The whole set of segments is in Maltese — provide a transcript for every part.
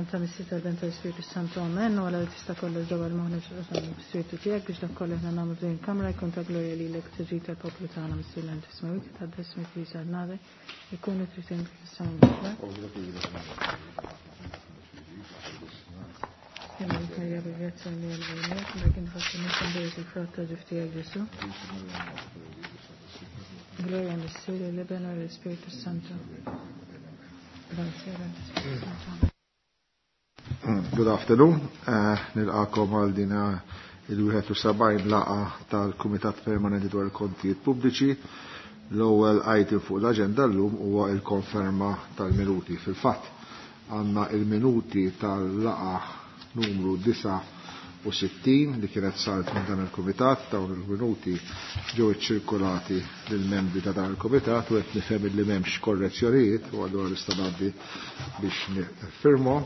F'isem ta' Missier tal-Ben tal-Ispirtu Santu Amen, u għala li tista' kollox dawar moħħna l-Ispirtu tiegħek biex dak kollu aħna nagħmlu f'din il-kamra jkun ta' glorja lilek tiġi tal-poplu tagħna Missier l tismawik ta' ismek li sar nagħlek ikunu trid fis-sema. Gloria Missier, l-Iben u l-Ispirtu Santu. Good afternoon. Nilqakom għal dina il-71 laqa tal-Kumitat Permanenti dwar il-Kontijiet Pubbliċi. L-ewwel item fuq l-aġenda llum huwa l-konferma tal-minuti. Fil-fatt għandna il-minuti tal-laqa numru 69 li kienet saret minn dan il-Kumitat, dawn il-minuti ġew iċċirkulati lill-membri ta' dan il-Kumitat u qed nifhem li m'hemmx korrezzjonijiet u allura nista' ngħaddi biex nifirmhom.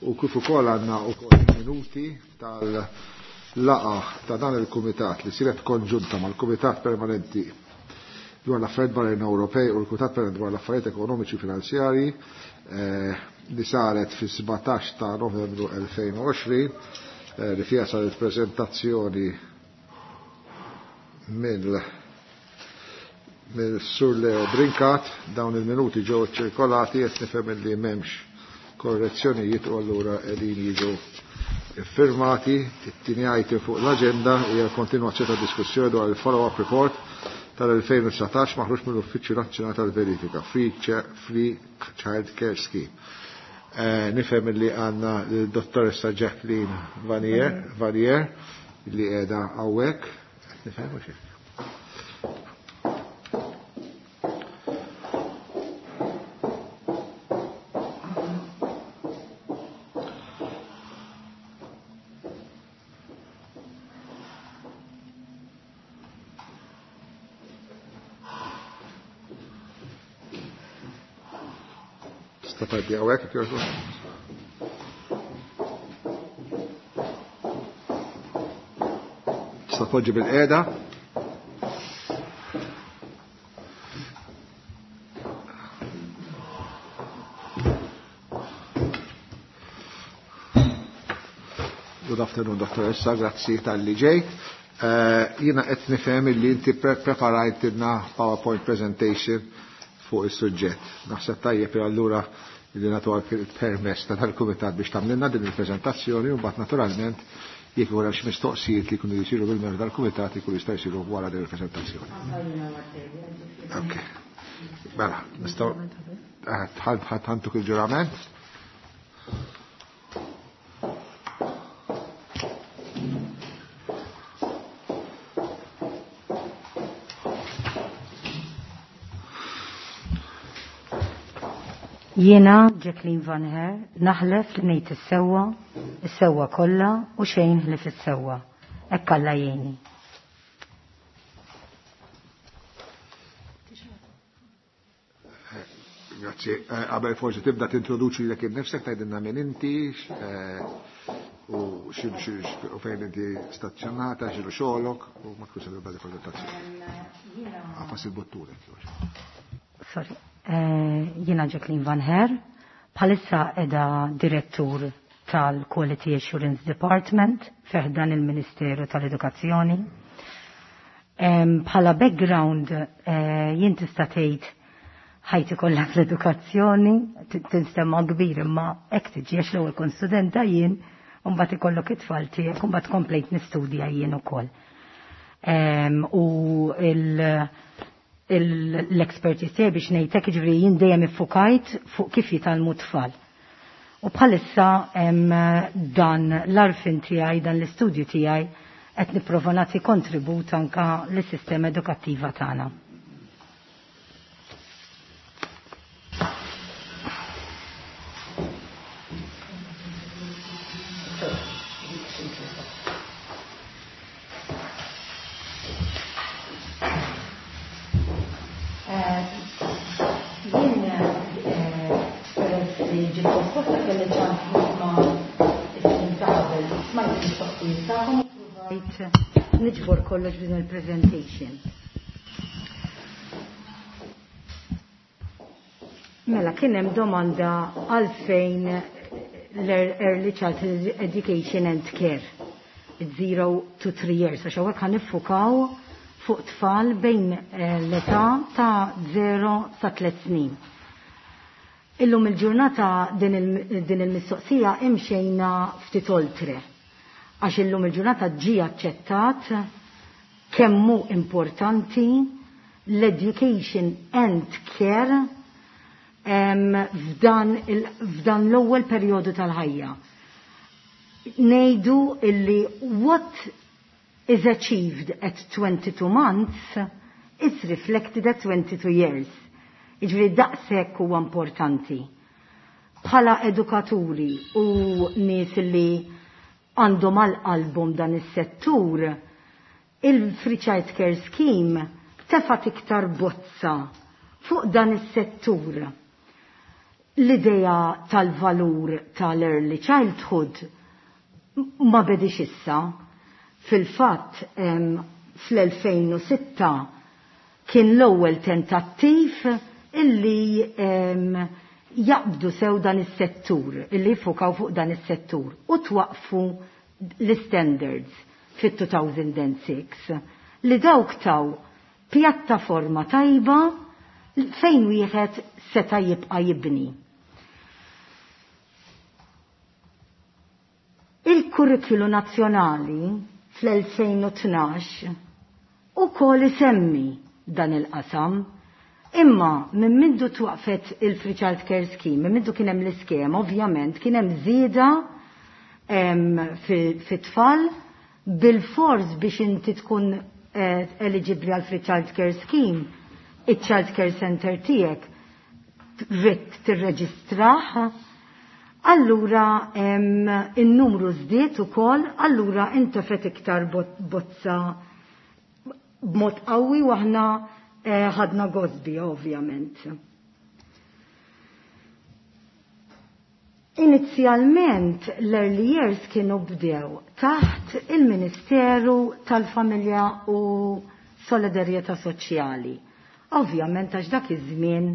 U kif ukoll għandna wkoll minuti tal-laqa ta' dan il-Kumitat li siret konġunta mal-Kumitat Permanenti dwar l-affarijiet barranin Ewropej u l-Kumitat Permanenti dwar l-affarijiet ekonomiċi u finanzjarji li saret fis-17 ta' Novembru 2020 li fiha saret prezentazzjoni mill-Sur Leo Brincat. Dawn il-minuti ġew ċirkolati, qed nifhem li m'hemmx korrezzjonijiet u allura qegħdin jiġu iffirmati. It-tieni item fuq l-aġenda hija l-kontinwazzjoni ta' diskussjoni dwar il-follow-up report tal-2019 maħruġ mill-Uffiċċju Nazzjonali tal-Verifika, Free Child Care Scheme. Nifhem li għandna l-dottoressa Jacqueline Vanier li qiegħda hawnhekk. Nifhem mhux hekk. Tista' tgħaddi hawnhekk jekk jogħġbok. Tista' tpoġġi bil-qiegħda. Good afternoon, dottoressa, grazzi tal-li ġejt. Jiena qed nifhem li inti preparajtilna PowerPoint presentation fuq is-suġġett. Naħseb tajjeb allura li nagħtu il-permess ta' tal-Kumitat biex tagħmlilna din il-preżentazzjoni u mbagħad naturalment jekk wara xi mistoqsijiet li jkunu jsiru bil-membri tal-Kumitat ikunu jista' jsiru wara din il-preżentazzjoni. Ok. Mela, nistgħu ħantuk il-ġurament. Jiena, Jacqueline Van Her, naħlef li ngħid is-sewwa, is-sewwa kollha u xejn ħlief is-sewwa. Hekk Alla jgħinni. Grazzi. Qabel forsi tibda tintroduċi lilek innifsek, tgħidilna min inti, u u fejn inti stazzjonata, x'inhu xogħolok, u ma tkunx tibda il-prezentazzjoni. Għafas il-bottura, Sorry. Jiena Jacqueline Van Her, bħalissa edha direttur tal-Quality Assurance Department fiħdan il-Ministeru tal-Edukazzjoni. Bħala background jien tista' tgħid ħajti kollha fl-edukazzjoni, tinstema' kbir imma hekk tiġi għax l-ewwel kont studenta jien, u mbagħad ikollok it-tfal tiegħek u mbagħad komplejt nistudja jien ukoll. U l-expertise tiegħi biex ngħidlek, jiġifieri jien dejjem iffukajt fuq kif jitgħallmu tfal. U bħalissa hemm dan l-arfin tiegħi, dan l-istudju tiegħi qed nipprova nagħti kontribut anke lis-sistema edukattiva tagħna. Niġbor kollox din il-presentation. Mela, kien hemm domanda għalfejn l-Early Childhood Education and Care, 0 to 3 years, għax hawnhekk ħa niffukaw fuq tfal bejn l-età ta' 0 sa 3 snin. Illum il-ġurnata din il-mistoqsija imxejna ftit oltre, għax illum il-ġurnata ġie aċċettat kemm hu importanti l-education and care f'dan l-ewwel perjodu tal-ħajja. Ngħidu illi what is achieved at 22 months is reflected at 22 years. Jiġifieri daqshekk huwa importanti. Bħala edukaturi u nies li għandhom għal qalbhom dan is-settur, il-Free Child Care Scheme tefat iktar bozza fuq dan is-settur. L-idea tal-valur tal-early childhood ma bedix issa. Fil-fatt fl-2006 kien l-ewwel tentattiv illi jaqbdu sew dan is-settur, illi jfukaw fuq dan is-settur u twaqfu l-standards fit-2006 li dawk taw pjattaforma tajba fejn wieħed seta' jibqa' jibni. Il-kurrikulu nazzjonali fl-2012 ukoll isemmi dan il-qasam, imma minn mindu twaqfet il-Free Child Care Scheme, minn mindu kien hemm l-iskema, ovvjament kien hemm żieda fit-tfal bil-fors biex inti tkun eligibli għal Free Child Care Scheme, il-Child Care Center tiegħek trid tirreġistrah, allura in-numru żdied ukoll, allura intefet iktar bozza b'mod qawwi u aħna ħadna gosbi ovvjament. Inizjalment l-early years kienu bdew taħt il-Ministeru tal-Familja u Solidarjetà Soċjali. Ovvjament għax dak iż-żmien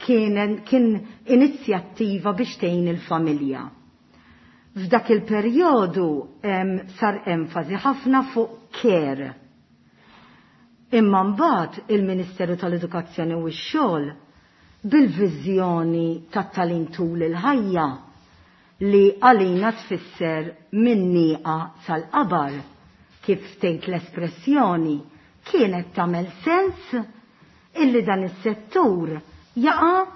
kien inizjattiva biex tgħin il-familja. F'dak il-perjodu sar enfasi ħafna fuq care. Imma mbagħad il-Ministeru tal-Edukazzjoni u x-Xogħol bil-viżjoni tat-tagħlim tul il-ħajja li għalina tfisser minn nieqa sal-qabar, kif tgħid l-espressjoni, kienet tagħmel sens illi dan is-settur jaqa'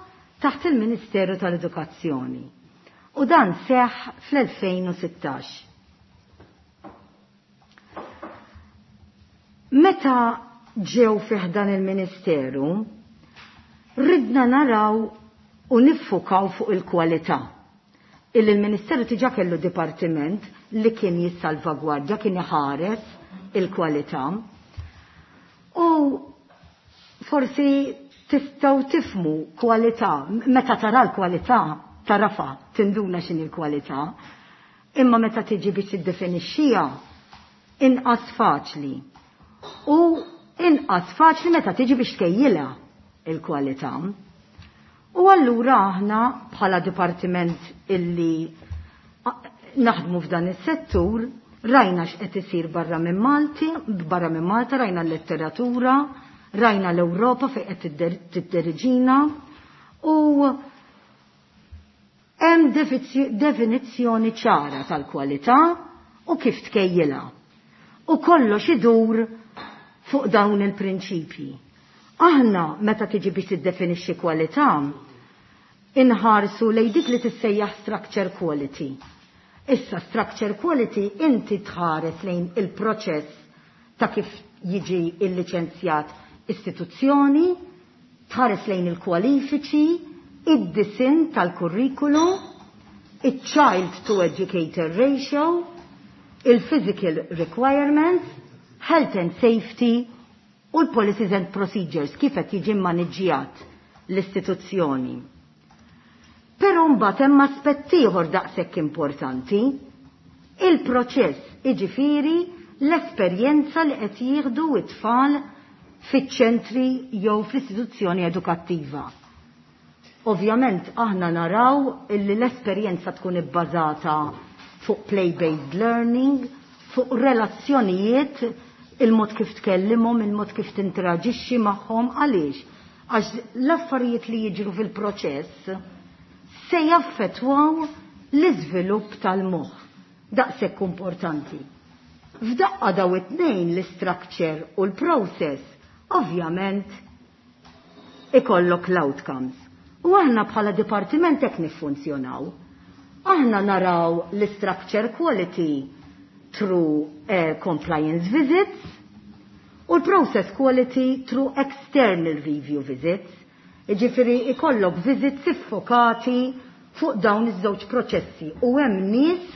taħt il-Ministeru tal-Edukazzjoni. U dan seħħ fl-2016. Meta ġew fih dan il-Ministeru, ridna naraw u niffukaw fuq il-kwalità. Illi l-Ministeru diġà kellu dipartiment li kien jissalvagwardja, kien iħares il-kwalità. U forsi tistgħu tifmu kwalità, meta tara l-kwalità, tarafa, tinduna x'inhi l-kwalità, imma meta tiġi biex tiddefinixxiha inqas faċli. U inqas faċli meta tiġi biex tkejjilha il-kwalità. U allura aħna bħala dipartiment illi naħdmu f'dan is-settur, rajna x'qed isir barra minn Malti, barra minn Malta rajna l-letteratura, rajna l-Ewropa fejn qed tidderiġina u hemm definizzjoni ċara tal-kwalità u kif tkejjilha. U kollox idur fuq dawn il-prinċipji. Aħna meta tiġi biex tiddefinixxi kwalità, inħarsu lejn dik li tissejjaħ structure quality. Issa structure quality inti tħares lejn il-proċess ta' kif jiġi il-liċenzjat istituzzjoni, tħares lejn il-kwalifiċi, id-disin tal-kurrikulu, il-child to educator ratio, il-physical requirements, health and safety u l-policies and procedures kif qed jiġi mmaniġġjat l-istituzzjoni. Però mbagħad hemm aspett ieħor daqshekk importanti, il-proċess, jiġifieri l-esperjenza li qed jieħdu t-tfal fiċ-ċentri jew fl-istituzzjoni edukattiva. Ovvjament aħna naraw illi l-esperjenza tkun ibbażata fuq play-based learning, fuq relazzjonijiet, il-mod kif tkellimhom, il-mod kif tinteraġixxi magħhom, għaliex? Għax l-affarijiet li jiġru fil-proċess se jaffettwaw l-iżvilupp tal-moħħ. Daqshekk importanti. F'daqqa daw it-tnejn l-structure u l-process, ovvjament ikollok l-outcomes. U aħna bħala dipartiment hekk niffunzjonaw. Aħna naraw l-structure quality through compliance visits u l-process quality through external review visits. Jiġifieri ikollok visits iffokati fuq dawn iż-żewġ proċessi u hemm nies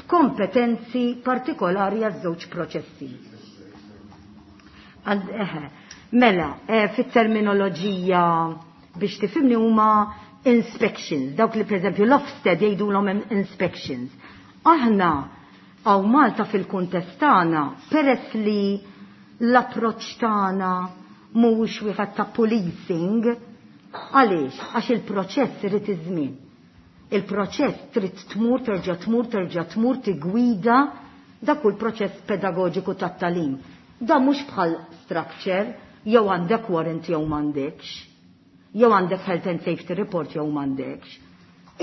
b'kompetenzi partikolari għaż-żewġ proċessi. Mela, fit-terminoloġija biex tifhimni huma inspections, dawk li pereżempju l-Ofsted jgħidulhom inspections. Aħna hawn Malta fil-kuntest tagħna, peress li l-approċċ tagħna mhuwiex wieħed ta' policing, għaliex? Għax il-proċess irid iż-żmien. Il-proċess trid tmur, terġa' tmur, terġa' tmur, tigwida, dak hu l-proċess pedagoġiku tat-tagħlim. Da mhux bħal structure, jew għandek warrant jew m'għandekx, jew għandek health and safety report jew m'għandekx.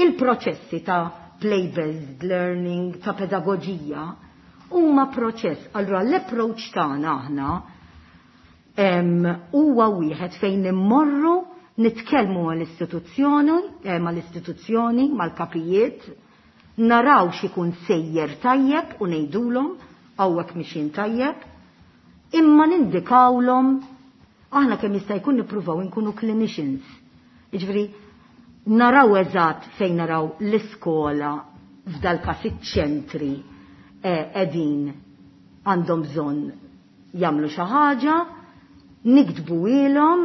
Il-proċessi ta' play-based learning, ta' pedagoġija, huma proċess. Allura l-approach tagħna aħna huwa wieħed fejn immorru nitkellmu mal-istituzzjoni, mal-kapijiet, naraw x'ikun sejjer tajjeb u ngħidulhom hawnhekk mixin tajjeb, imma nindikawlhom aħna kemm jista' jkun nippruvaw inkunu clinicians. Jiġifieri naraw eżatt fejn naraw l-iskola f'dal każ iċ-ċentri qegħdin għandhom bżonn jagħmlu xi ħaġa, niktbu ilhom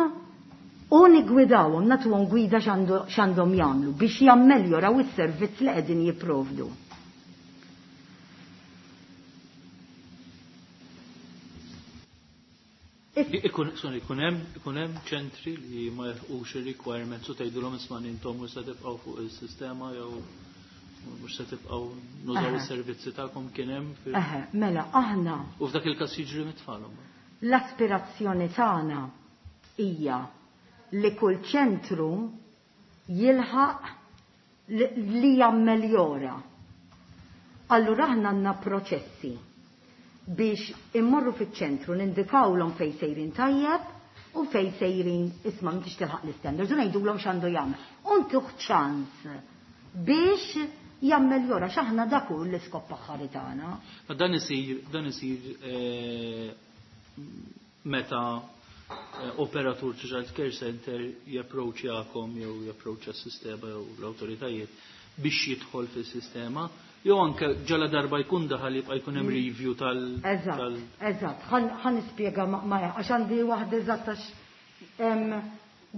u nigwidawhom, nagħtuhom gwida x'għandhom jagħmlu biex jammeljoraw is-servizz li qegħdin jipprovdu. Ikun hemm ċentri li ma jilħqux ir-requirements u tgħidulhom isma' intom mhux se tibqgħu fuq is-sistema jew mhux se tibqgħu nużaw is-servizzi tagħkom kien hemm fil- Eħe, mela aħna U f'dak il-każ jiġri mit-tfal imbagħad. L-aspirazzjoni tagħna hija li kull ċentru jilħaq li jammeljora. Allura aħna għandna proċessi biex immorru fiċ-ċentru nindikawlhom fejn sejrin tajjeb u fejn sejrin isma' m'intix tilħaq l-istandards u ngħidulhom x'għandu jagħmel. U ntuh ċans biex jammeljora x'aħna dak hu l-iskop aħħari tagħna. Ma dan isir meta operatur ta' child care center japproċċjakom jew japproċċja s-sistema jew l-awtoritajiet biex jidħol fis-sistema, jew anke ġala darba jkun daħal jibqa' jkun hemm review tal- Eżatt, tal- eżatt. Ħan nispjega ma għax għandi waħda eżatt għax,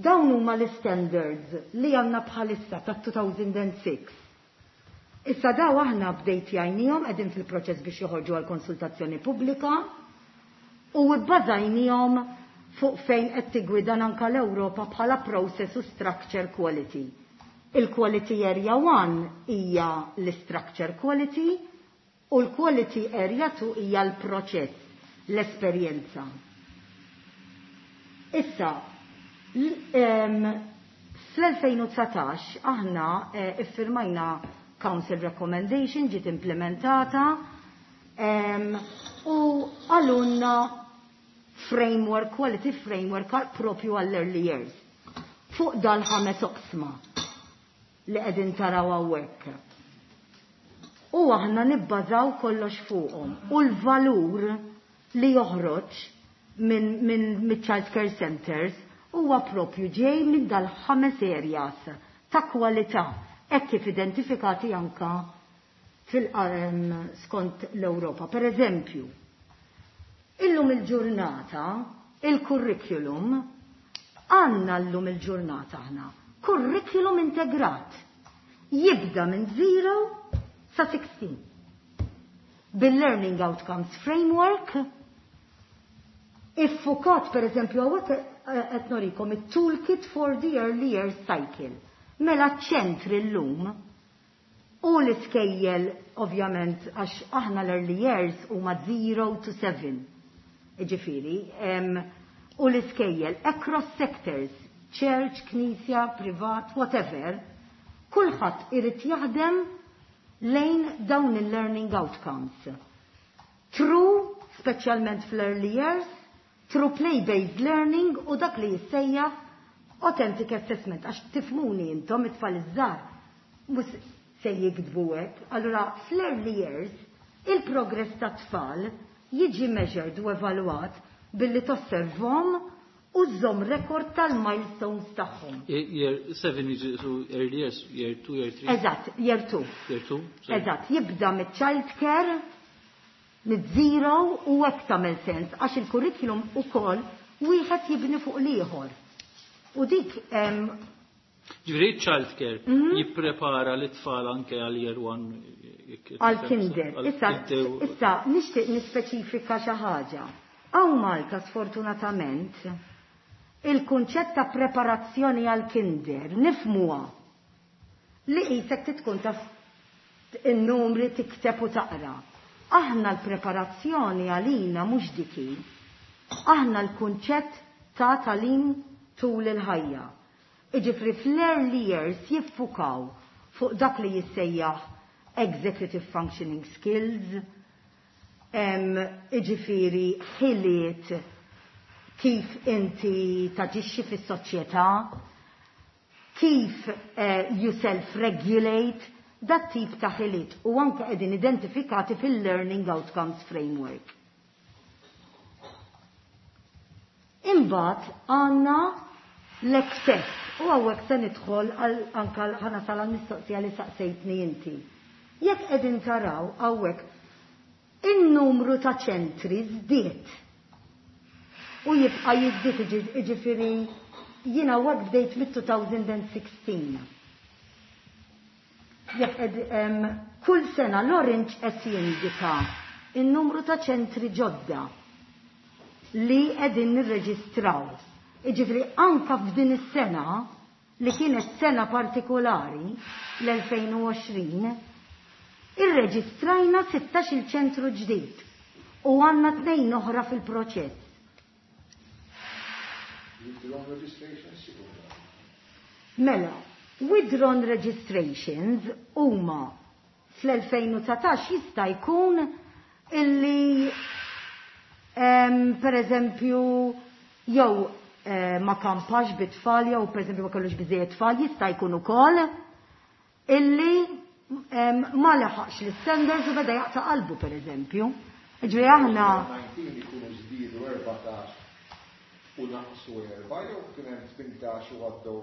dawn huma l-standards li għandna bħalissa ta' 2006. Issa daw aħna bdejt jgħinihom qegħdin fil-proċess biex joħorġu għal konsultazzjoni pubblika u bbażajnihom fuq fejn qed tigwidan anke l-Ewropa bħala process u structure quality. Il-quality area 1 hija l-structure quality u l-quality area 2 hija l-proċess, l-esperjenza. Issa, fl-2019 aħna iffirmajna Council Recommendation ġiet implementata u għalunna framework, quality framework propju għall-early years. Fuq dal-ħames oqsma li qegħdin taraw hawnhekk. U aħna nibbażaw kollox fuqhom. U l-valur li joħroġ minn child care centers huwa propju ġej minn dal-ħames areas ta' kwalità hekk kif identifikati anka skont l-Ewropa. Per eżempju, illum il-ġurnata, il-curriculum, għanna llum il-ġurnata aħna, curriculum integrat, jibda minn 0 sa 16. Bil-Learning Outcomes Framework, iffukat per eżempju għawek qed norikom it-toolkit for the early years cycle. Mela ċentri llum u l-iskejjel ovvjament għax aħna l-early years huma 0 to 7. Ġifieri, u l-iskejjel across sectors, church, knisja, privat, whatever, kulħadd irid jaħdem lejn dawn il-learning outcomes. True, speċjalment fl-early years, through play-based learning u dak li jissejjaħ authentic assessment, għax tifhmuni intom it-tfal iż-żgħar mhux se jiktbu hekk. Allura fl-early years il-progress ta' tfal jiġi measured u evalwat billi tosservhom u żżomm rekord tal-milestones tagħhom. Year 7 jiġi so early years, year 2, year 3. Eżatt, year 2. Year 2. sorry. Eżatt, jibda mit-child care, mid-zero u hekk tagħmel sens għax il-curriculum ukoll wieħed jibni fuq l-ieħor. U dik Ġifieri child care jipprepara l-tfal anke għal year 1. Għal kinder. Issa nixtieq nispeċifika xi ħaġa. Hawn Malta sfortunatament il-kunċett ta' preparazzjoni għal kinder nifhmuha li qisek tkun taf in-numri, tikteb u taqra. Aħna l-preparazzjoni għalina mhux diki. Aħna l-kunċett ta' tagħlim tul il-ħajja. Iġifri fl-early years jiffukaw fuq dak li jissejjaħ executive functioning skills, iġifiri ħiliet kif inti taġixxi fis-soċjetà, kif you self-regulate, dat tip ta' ħiliet u anke qegħdin identifikati fil-Learning Outcomes Framework. Imbagħad għandna l-access u hawnhekk se nidħol anke ħa nasal għall-mistoqsija li saqsejtni inti. Jekk qegħdin taraw hawnhekk in-numru ta' ċentri żdied u jibqa' jiżdied, jiġifieri jiena waqt bdejt mit-2016. Jekk kull sena l-orange qed jindika in-numru ta' ċentri ġodda li qegħdin nirreġistraw. Iġifieri anka f'din is-sena li kienet sena partikolari l-2020, irreġistrajna 16 il-ċentru ġdid u għandna tnejn oħra fil-proċess. Withdrawn registrations? Mela, withdrawn registrations huma fl-2019 jista' jkun illi per eżempju jew ma kampax bit-tfal jew per eżempju ma kellux biżejjed tfal, jista' jkun ukoll illi ma leħaqx l-standards u beda jaqta' qalbu per eżempju. Ġifieri aħna 19 ikunu żdiedu 14 u naqsu 4 jew kien hemm 18 u għaddew?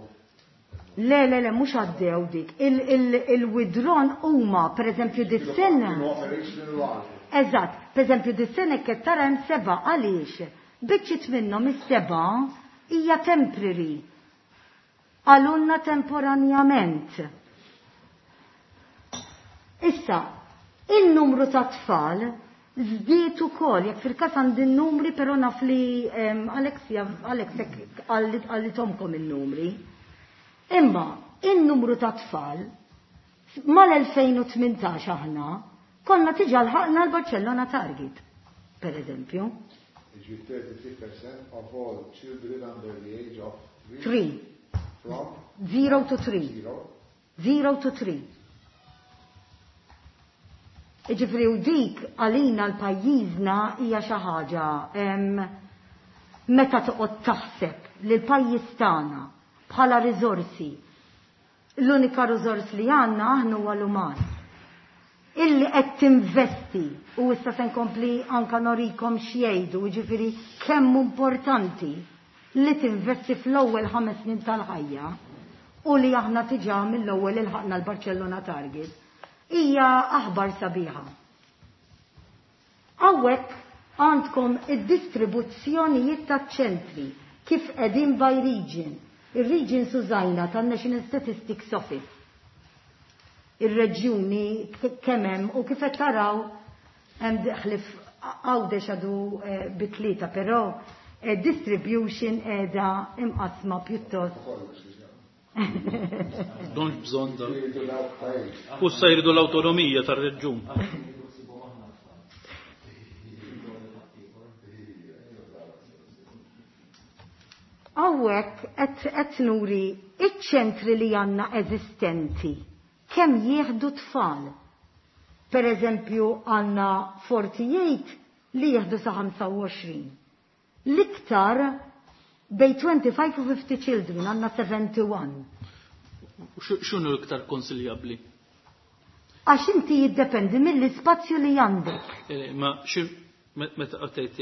Le, le, le, mhux għaddew dik. Il-withdrawn huma, per eżempju, dis-sena. Kienu operational u għaddew. Eżatt, per eżempju, dis-sena qed tara hemm 7 għaliex. Biċċiet minnhom is-7 hija temporary. Għalunna temporanjament. Issa, il-numru ta' tfal żdied ukoll, jekk fil-każ għandi n-numri, però naf li Alexia, Alex għallitomkom il-numri. Imma il-numru ta' tfal mal-2018 aħna konna diġà lħaqna l-Barcellona Target, per eżempju. Ġi 33% of all children under the age of 3. 3. From? 0 to 3. 0. 0 to 3. Iġifri u dik għalina l-pajjiżna hija xi ħaġa meta toqgħod taħseb li l-pajjiż tagħna bħala riżorsi, l-unika riżors li għandna aħna huwa l-uman. Illi qed tinvesti u issa se nkompli anka norikom x'jgħidu, jiġifieri kemm importanti li tinvesti fl-ewwel 5 snin tal-ħajja u li aħna diġà mill-ewwel ilħaqna l-Barcellona Target. Hija aħbar sabiħa. Hawnhekk għandkom id-distribuzzjonijiet taċ-ċentri kif qegħdin by region. Ir-regions użajna tan-National Statistics Office. Ir-reġjuni kemm hemm u kif qed taraw hemm ħlif Għawdex għadu bi 3, però Distribution qiegħda imqasma pjuttost. Donx bżonn da. U sa jridu l-awtonomija tar-reġjun. Hawnhekk qed nuri iċ-ċentri li għandna eżistenti kemm jieħdu tfal. Per eżempju għandna 48 li jieħdu sa 25. L-iktar bej 25 u 50 children għandna 71. X'inhu l-iktar konsiljabbli? Għax inti jiddependi mill-ispazju li għandek. Ma xi meta qed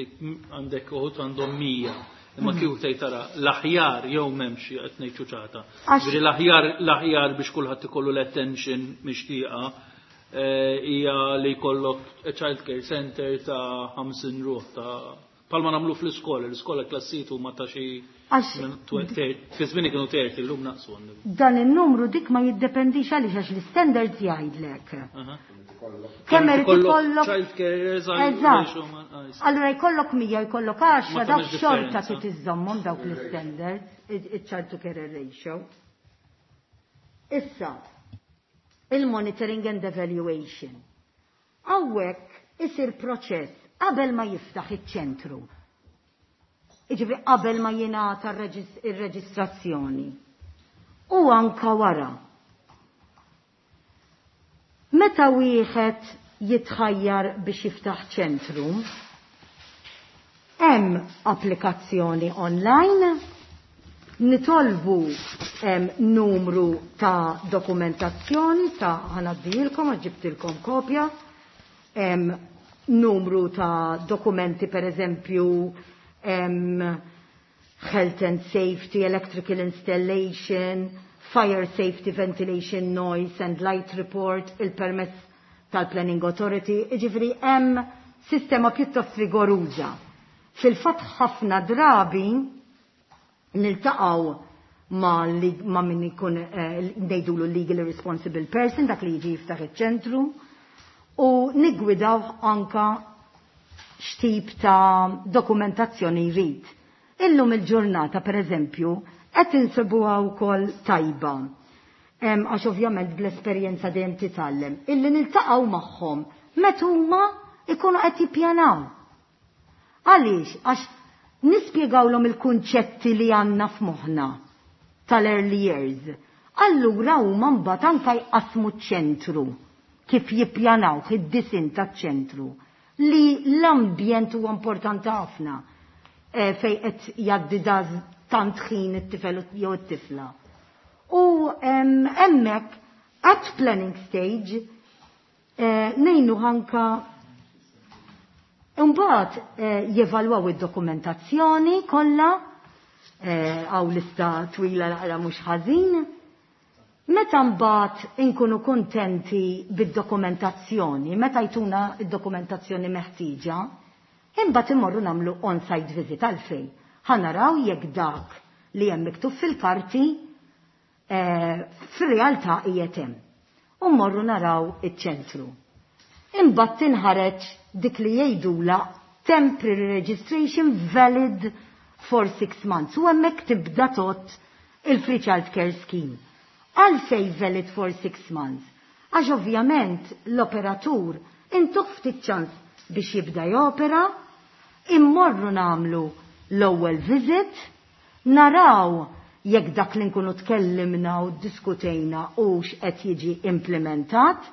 għandek uħud għandhom 100. Imma kieku tgħid tara l-aħjar jew m'hemmx qed ngħid ċuċata. Ġifieri l-aħjar biex kulħadd ikollu l-attention mixtieqa hija li jkollok child care center ta' 50 ruħ ta' palma nagħmlu fl-iskola, l-iskola klassitu ma ta' xi fi żmien kienu terti llum naqsu għandhom. Dan in-numru dik ma jiddependix għaliex għax l-standards jgħidlek. Kemm irid ikollok child carers. Eżatt. Allura jkollok 100 jkollok 10 dawk xorta trid iżżommhom dawk l-standards, iċ-child to carer ratio. Issa, il-monitoring and evaluation. Hawnhekk isir proċess qabel ma jiftaħ iċ-ċentru. Jiġifieri qabel ma jingħata r-reġistrazzjoni. U anka wara. Meta wieħed jitħajjar biex jiftaħ ċentru, hemm applikazzjoni online, nitolbu numru ta' dokumentazzjoni ta' ħanaddilkom, ġibtilkom kopja, numru ta' dokumenti per eżempju health and safety, electrical installation, fire safety, ventilation, noise and light report, il-permess tal-Planning Authority, jiġifieri hemm sistema pjuttost rigoruża. Fil-fatt ħafna drabi niltaqgħu ma' min ikun ngħidulu legally responsible person, dak li jiġi jiftaħ iċ-ċentru, u niggwidaw anka x'tip ta' dokumentazzjoni jrid. Illum il-ġurnata, per eżempju, qed insibuha wkoll tajba. Għax ovvjament bl-esperjenza dejjem titgħallem, illi niltaqgħu magħhom meta huma ikunu qed jippjanaw. Għaliex? Għax nispjegawlhom il-kunċetti li għandna f'moħħna tal-early years. Allura huma mbagħad anke jqasmu ċ-ċentru kif jippjanaw id-disin taċ-ċentru li l-ambjent huwa importanti ħafna fej qed jgħaddi tant ħin it-tifel jew it-tifla. U hemmhekk at planning stage ngħinu anka imbagħad jevalwaw id-dokumentazzjoni kollha, għaw lista twila naqra mhux ħażin. Meta mbagħad inkunu kuntenti bid-dokumentazzjoni, meta jtuna id-dokumentazzjoni meħtieġa, imbagħad immorru nagħmlu on-site visit għalfejn. Ħa naraw jekk dak li hemm miktub fil-karti fir-realtà qiegħed hemm. U mmorru naraw iċ-ċentru. Imbagħad tinħareġ dik li jgħidula temporary registration valid for 6 months. U hemmhekk tibda tot il-Free Child Care Scheme. Għalfej valid for 6 months? Għax ovvjament l-operatur intuh ftit ċans biex jibda jopera, immorru nagħmlu l-ewwel visit, naraw jekk dak li nkunu tkellimna u diskutejna u x'qed jiġi implementat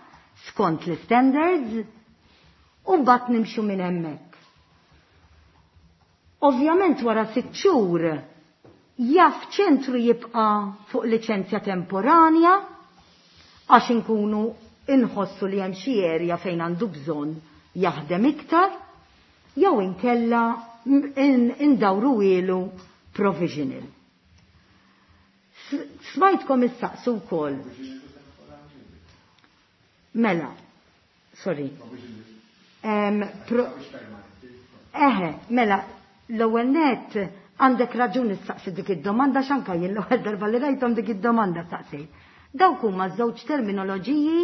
skont l-standards, u mbagħad nimxu minn hemmhekk. Ovvjament wara 6 xhur jaf ċentru jibqa' fuq liċenzja temporanja għax inkunu inħossu li hemm xi area fejn għandu bżonn jaħdem iktar, jew inkella indawru ilu provisional. Smajtkom issaqsu wkoll. Mela, sorry. Eħe, mela, l-ewwel net għandek raġun issaqsi dik id-domanda x'anka jien l-ewwel darba li rajthom dik id-domanda staqsejt. Dawk huma żewġ terminoloġiji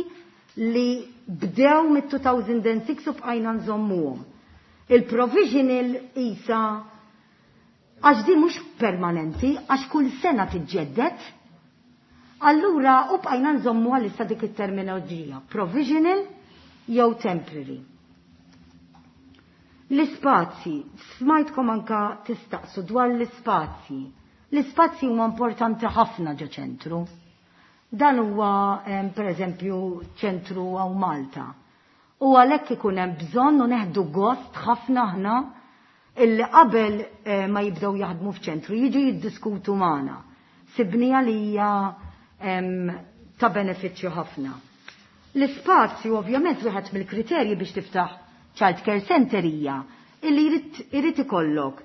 li bdew mit-2006 u bqajna nżommuhom. Il-provisional isa Għax di mhux permanenti, għax kull sena tiġġedded. Allura u bqajna nżommu għalissa dik it-terminoloġija, provisional jew temporary. L-ispazji, smajtkom anka tistaqsu dwar l-ispazji. L-ispazji huma importanti ħafna ġo ċentru. Dan huwa per eżempju ċentru għaw Malta. U għalhekk ikun hemm bżonn u neħdu gost ħafna aħna illi qabel ma jibdew jaħdmu f'ċentru jiġu jiddiskutu magħna. Sibnija li hija ta' benefiċċju ħafna. L-ispazju ovvjament wieħed mill-kriterji biex tiftaħ child care center hija illi jrid ikollok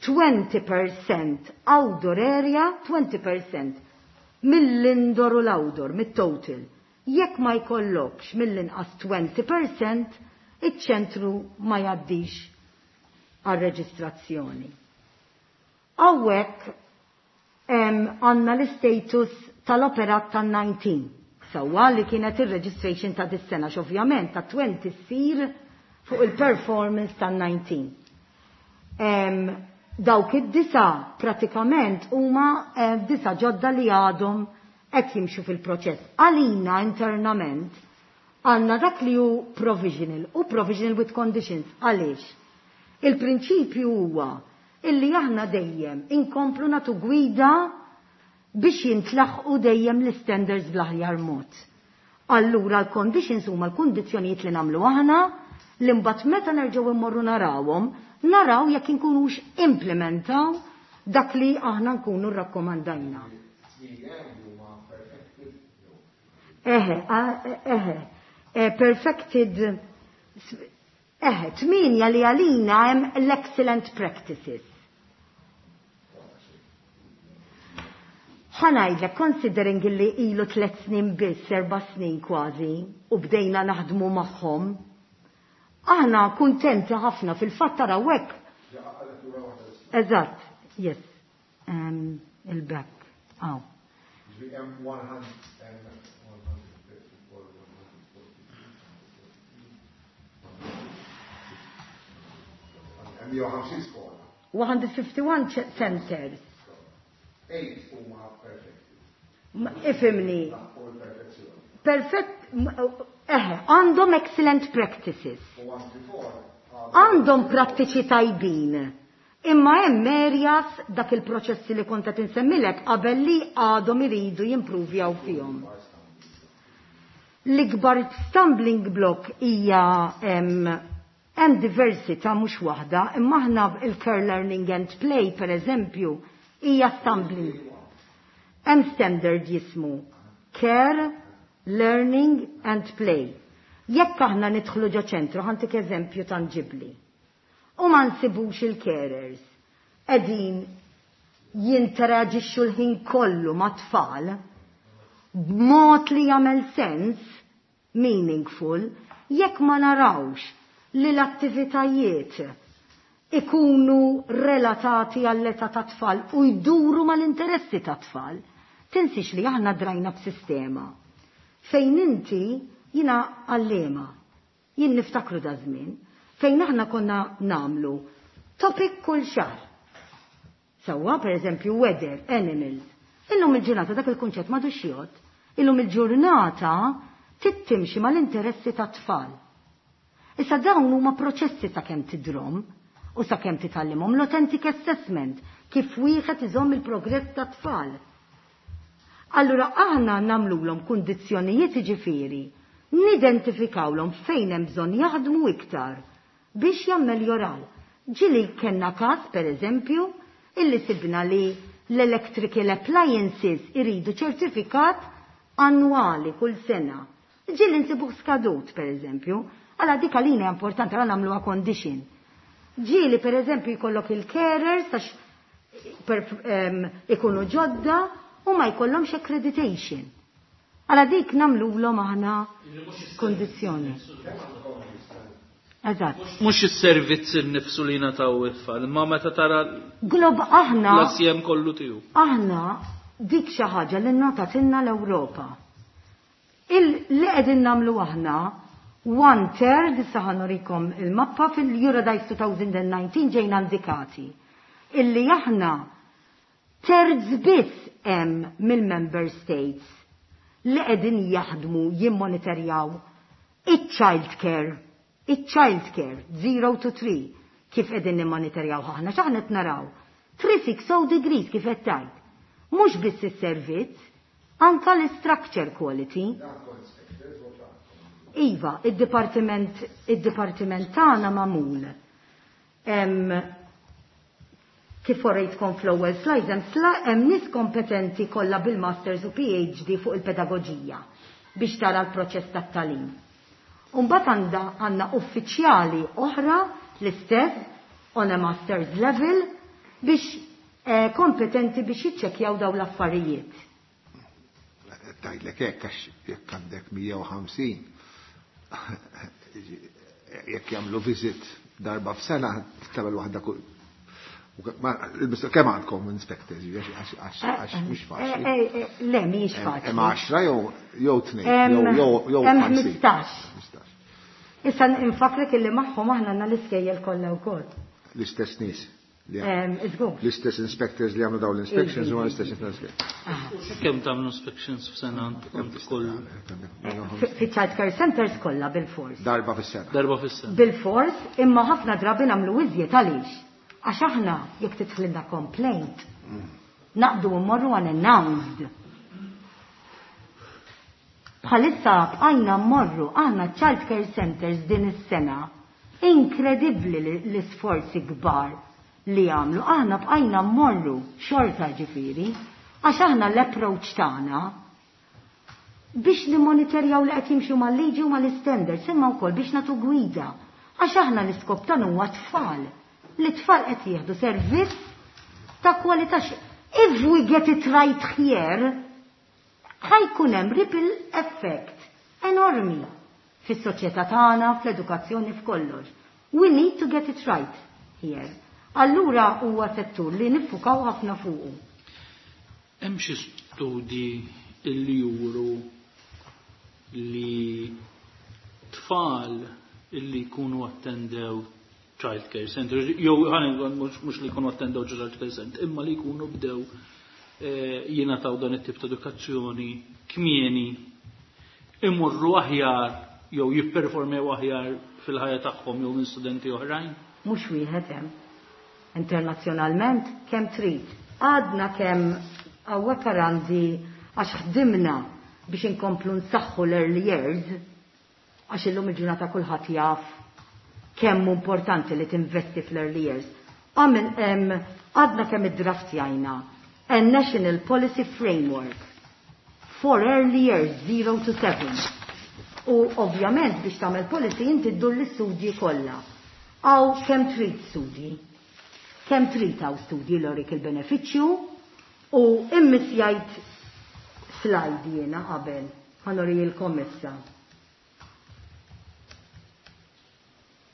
20% outdoor area, 20% mill-indoor u l-outdoor, mit-total. Jekk ma jkollokx mill-inqas 20%, iċ-ċentru ma jgħaddix għal-reġistrazzjoni. Hawnhekk għandna l-status tal-operat tan-19. Sewwa li kienet ir-registration ta' dis-sena x'ovvjament ta' 20 ssir fuq il-performance tan-19. Dawk id-disa pratikament huma disa ġodda li għadhom qed jimxu fil-proċess. Għalina internament għandna dak li hu provisional u provisional with conditions. Għaliex? Il-prinċipju huwa illi aħna dejjem inkomplu natu gwida biex jintlaħqu dejjem l-standards bl-aħjar mod. Allura l-conditions huma l-kundizzjonijiet li nagħmlu aħna li mbagħad meta nerġgħu immorru narawhom, naraw jekk inkunux implementaw dak li aħna nkunu rrakkomandajna. Eħe, eħe, perfected, eħe, 8 li għalina hemm l-excellent practices. Ħa ngħidlek, considering li ilu 3 snin biss, 4 snin kważi, u bdejna naħdmu magħhom, aħna kuntenti ħafna fil-fatt taraw hekk. Eżatt, yes. Il-back. Aw. 151 centers. Ifimni. Perfect, eħe, għandhom excellent practices. Għandhom prattiċi tajbin. Imma hemm areas dak il-proċessi li kont qed insemmilek qabel li għadhom iridu jimpruvjaw fihom. L-ikbar stumbling block hija hemm diversità mhux waħda, imma aħna il-care learning and play per eżempju hija stumbling. Hemm standard jismu care, learning and play. Jekk aħna nidħlu ġo ċentru, ħa ntik eżempju tangibli. U ma nsibux il-carers qegħdin jinteraġixxu l-ħin kollu ma' tfal b'mod li jagħmel sens, meaningful, jekk ma narawx li l-attivitajiet ikunu relatati għall-età ta' tfal u jduru mal-interessi ta' tfal. Tinsix li aħna drajna b'sistema fejn inti jina għallema, jien niftakru da żmien, fejn aħna konna namlu topic kull xahar. Sewwa, per eżempju, weather, animals. Illum il-ġurnata dak il-kunċett m'għadux jgħod. Illum il-ġurnata tittimxi mal-interessi ta' tfal. Issa dawn huma proċessi sa' kemm tidrom u sa' kemm titgħallimhom l-authentic assessment kif wieħed iżomm il-progress ta' tfal. Allura aħna nagħmluhom kundizzjonijiet ġifieri, nidentifikawlhom fejn hemm bżonn jaħdmu iktar biex jammeljoraw. Ġieli kellna każ, per eżempju, illi sibna li l-electrical appliances iridu ċertifikat annwali kull sena. Ġieli nsibuh skadut, per eżempju, għala dik għalina importanti għala nagħmluha condition. Ġieli, per eżempju, jkollok il-carers, għax ikunu ġodda u ma jkollhomx accreditation. Għala dik nagħmluhom aħna kondizzjoni. Eżatt. Mhux is-servizz innifsu li nataw it-tfal, imma meta tara Glob aħna l-assjem kollu tiegħu. Aħna dik xi ħaġa li natatilna l-Ewropa. Li qegħdin nagħmlu aħna one third, issa ħa nurikom il-mappa fil-Eurodise 2019 ġejna indikati. Illi aħna terz biss hemm mill-member states li qegħdin jaħdmu jimmonitorjaw iċ-child care, iċ-child care 0 to 3 kif qegħdin nimmonitorjaw aħna. X'aħna qed naraw? 360 degrees, kif qed tgħid. Mhux biss is-servizz, anka l-structure quality. Iva, id-dipartiment tagħna magħmul kif orejtkom fl-ewwel slides, hemm nies kompetenti kollha bil-masters u PhD fuq il-pedagoġija biex tara l-proċess tat-tagħlim. Mbagħad għandna uffiċjali oħra l-istess on a master's level biex kompetenti biex jiċċekkjaw dawn l-affarijiet. Tgħidlek hekk għax jekk għandek 150, jekk jagħmlu visit darba f'sena, tagħmel waħda kull. Kemm għandkom inspectors? Għax mhux faċli. Le, mhijiex faċli. Hemm 10 jew tnejn jew Hemm 50. 15. Issa nfakrek illi magħhom aħna għandna l-iskejjel kollha wkoll. L-istess nies. Iżgur. L-istess inspectors li għamlu dawn l-inspections huma l-istess inspectors. Kemm tagħmlu inspections f'sena għand kull? Fi child care centers kollha bil-fors. Darba fis-sena. Darba fis-sena. Bil-fors, imma ħafna drabi nagħmlu iżjed. Għaliex? Għax aħna jekk tidħlilna complaint, naqdu mmorru unannounced. Bħalissa bqajna mmorru aħna child care centers din is-sena. Inkredibbli l-isforzi kbar li għamlu. Aħna bqajna mmorru xorta, ġifieri, għax aħna l-approach tagħna biex nimonitorjaw li qed jimxu mal-liġi u mal-standards, imma wkoll biex nagħtu gwida. Għax aħna l-iskop tagħna huwa tfal. Li tfal qed jieħdu servizz ta' kwalità. If we get it right here, ħa jkun hemm ripple effect enormi fis-soċjetà tagħna, fl-edukazzjoni, f'kollox. We need to get it right here. Allura huwa settur li niffukaw ħafna fuqu. Hemm xi studi illi juru li tfal illi jkunu attendew child care center, jew mhux li jkunu attendew child care center, imma li jkunu bdew jingħataw dan it-tip ta' edukazzjoni kmieni, imurru aħjar jew jipperformew aħjar fil-ħajja tagħhom jew minn studenti oħrajn? Mhux wieħed hemm. Internazzjonalment kemm trid. Għadna kemm hawnhekk għandi, għax ħdimna biex inkomplu nsaħħu l-early years, għax illum il-ġurnata kulħadd jaf kemm importanti li tinvesti fl-early years. Għadna kemm iddraftjajna a National Policy Framework for Early Years 0 to 7. U ovvjament biex tagħmel policy inti ddur l-istudji kollha. Hawn kemm trid studji. Kemm trid hawn studji li jurik il-benefiċċju u immissjajt slide jiena qabel. Ħa nurijilkom issa.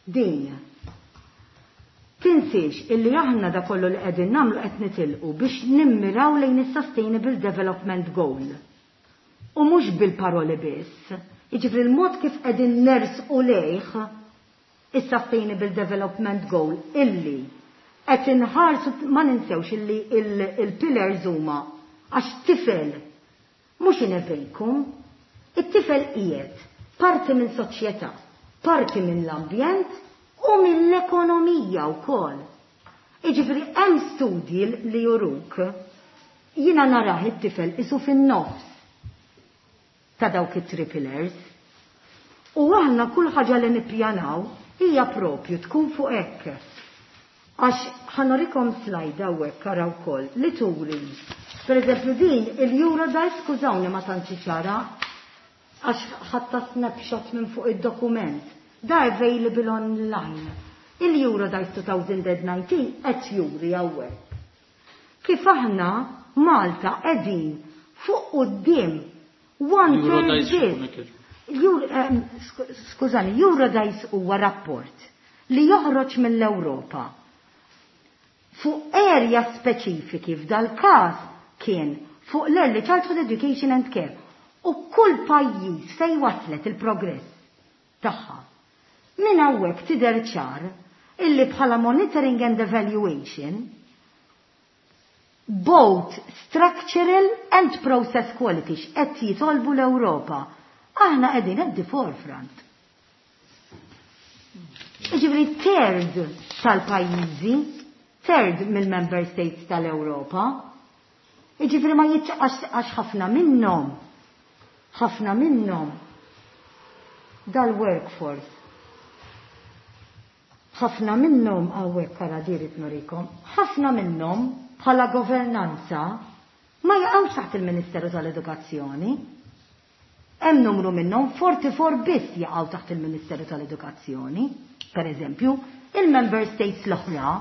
Din. Tinsiex illi aħna da kollu li qegħdin nagħmlu qed nitilqu biex nimmiraw lejn is-Sustainable Development Goal. U mhux bil-paroli biss. Jiġifieri l-mod kif qegħdin nersqu lejh is-Sustainable Development Goal illi qed inħarsu, ma ninsewx illi il-pillars huma għax tifel mhux inevejkum, it-tifel qiegħed parti minn soċjetà, parti minn l-ambjent u mill-ekonomija wkoll. Jiġifieri hemm studji li juruk, jiena narah it-tifel isu fin-nofs ta' dawk it-three pillars. U aħna kull ħaġa li nippjanaw hija propju tkun fuq hekk. Għax ħa nurikom slide hawnhekk, araw wkoll li turi. Per eżempju din il-Eurodice, skużawni ma tantx ċara, għax ħadtha snapshot minn fuq id-dokument. Da available online. Il-Eurodice 2019 qed juri hawnhekk kif aħna Malta qegħdin fuq quddiem, one third biss. Skużani, Eurodice huwa rapport li joħroġ mill-Ewropa fuq area speċifiki, f'dal każ kien fuq l-early childhood education and care u kull pajjiż fej waslet il-progress tagħha. Minn hawnhekk tidher ċar illi bħala monitoring and evaluation Both structural and process quality x'qed jitolbu l-Ewropa. Aħna qegħdin at the forefront. Jiġifieri third tal-pajjiżi, third mill-member states tal-Ewropa. Jiġifieri ma għax ħafna minnhom dal-workforce. Ħafna minnhom hawnhekk ara dirit nurikom, ħafna minnhom bħala governanza ma jaqgħux taħt il-Ministeru tal-Edukazzjoni. Hemm numru minnhom, 44 biss jaqgħu taħt il-Ministeru tal-Edukazzjoni. Per eżempju, il-Member States l-oħra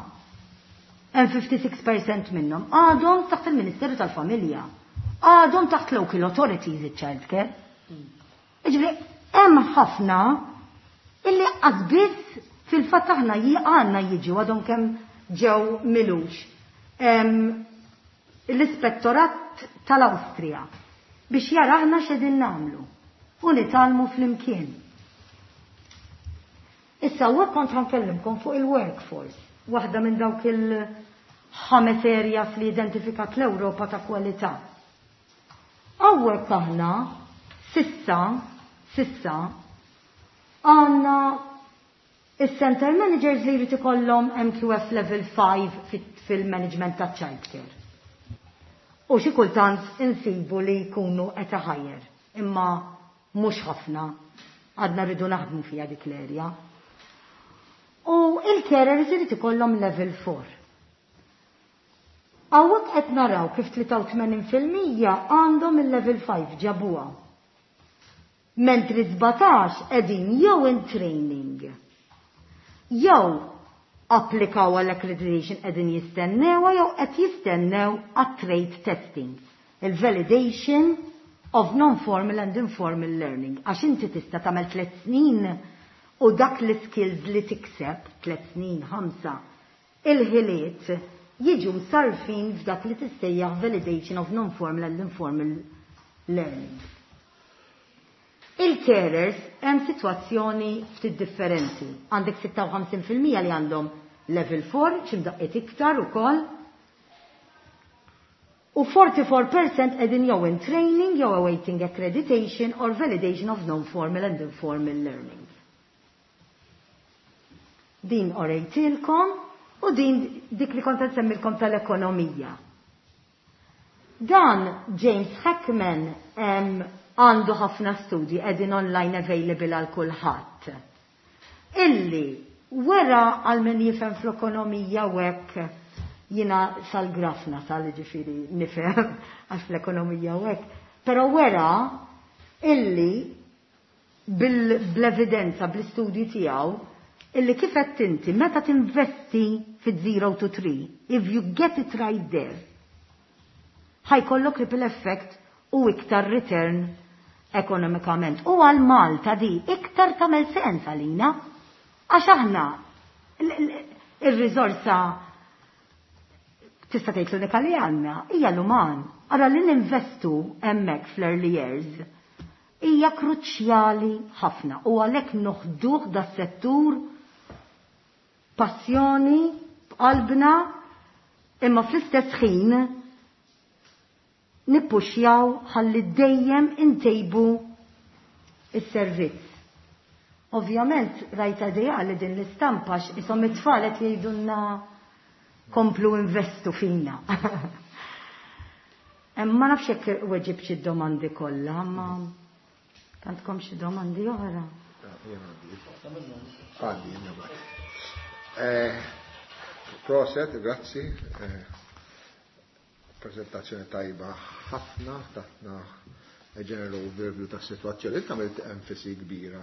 hemm 56% minnhom għadhom taħt il-Ministeru tal-Familja. Għadhom taħt local authorities il-childcare. Jiġifieri, hemm ħafna illi biss fil-fatt aħna għandna jiġu għadhom kemm ġew milux. L-ispettorat tal-Awstrija biex jara aħna x'qegħdin nagħmlu u nitgħallmu flimkien. Issa u kont ħa nkellimkom fuq il-workforce, waħda minn dawk il-ħames areas li identifikat l-Ewropa ta' kwalità. Hawnhekk aħna sissa għandna il-center managers li jrid ikollhom MQF level 5 fil-management ta' childcare. U xi kultant insibu li jkunu qed higher, imma mhux ħafna, għadna rridu naħdmu fiha dik l-erja. U il-carers irid ikollhom level 4. Hawnhekk qed naraw kif 83% għandhom il-level 5 ġabuha. Mentri 17 qegħdin jew in training jew applikaw għall accreditation, qegħdin jistennew jew qed jistennew għat-trade testing, il-validation of non-formal and informal learning. Għax inti tista' tagħmel 3 snin u dak l-skills li tikseb, 3 snin, 5, il-ħiliet jiġu msarfin f'dak li tissejjaħ validation of non-formal and informal learning. Il-carers hemm sitwazzjoni ftit differenti. Għandek 56% li għandhom level 4, x'imdaqqiet iktar ukoll. U 44% qegħdin jew in training jew awaiting accreditation or validation of non-formal and informal learning. Din urejtilkom u din dik li kont nsemmilkom tal-ekonomija. Dan James Heckman għandu ħafna studji qegħdin online available għal kulħadd. Illi wera għal min jifhem fl-ekonomija u hekk, jiena sal-grafna sal ġifieri nifhem għax fl-ekonomija u hekk, però wera illi bl-evidenza, bl-istudji tiegħu, illi kif qed inti meta tinvesti fi 0 to 3, if you get it right there, ħa jkollok ripple effect u iktar return ekonomikament. U għal Malta di iktar tagħmel sens għalina, għax aħna il-riżorsa tista' tgħid l-unika li għandna hija l-uman. Ara li ninvestu hemmhekk fl-early years hija kruċjali ħafna u għalhekk noħduh da settur passjoni b'qalbna, imma fl-istess ħin nippuxjaw ħalli dejjem intejbu is-servizz. Ovvjament rajta dejja li din l-istampa isom it-tfal qed jgħidulna komplu investu fina. Ma nafx jekk weġib xi domandi kollha, ma għandkom xi domandi oħra. Għandi, jena. Prosit, grazzi. Prezentazzjoni tajba ħafna, tatna general overview ta' situazzjoni. Inti għamilt enfasi kbira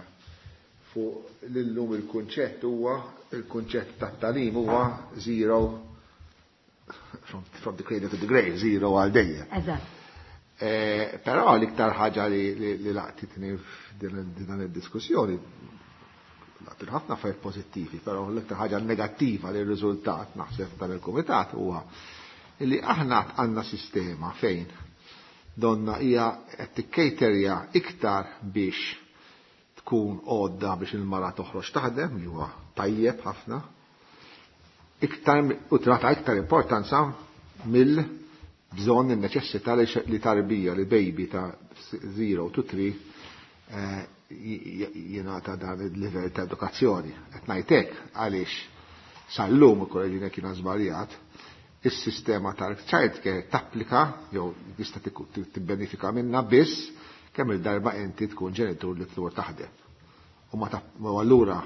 fuq l-lum il-kunċett huwa il-kunċett ta' tagħlim huwa zero from the cradle to the grave, zero għal dejjem. Eżatt. Però l-iktar ħaġa li laqtitni f'din id-diskussjoni, laqtit ħafna affarijiet pożittivi, però l-iktar ħaġa negattiva li r-riżultat naħseb dan il-kumitat huwa li aħna għandna sistema fejn donna hija qed tikkejterja iktar biex tkun għodda biex il-mara toħroġ taħdem, li huwa tajjeb ħafna, iktar u trata iktar importanza mill bżonn in-neċessità li tarbija li baby ta' 0 to 3 jingħata dan il-livell ta' edukazzjoni. Qed ngħid hekk għaliex sal-lum ukoll kien żbaljat, is-sistema tal-child care tapplika jew tista' tibbenefika minnha biss kemm il-darba inti tkun ġenitur li tlur taħdem. U ma allura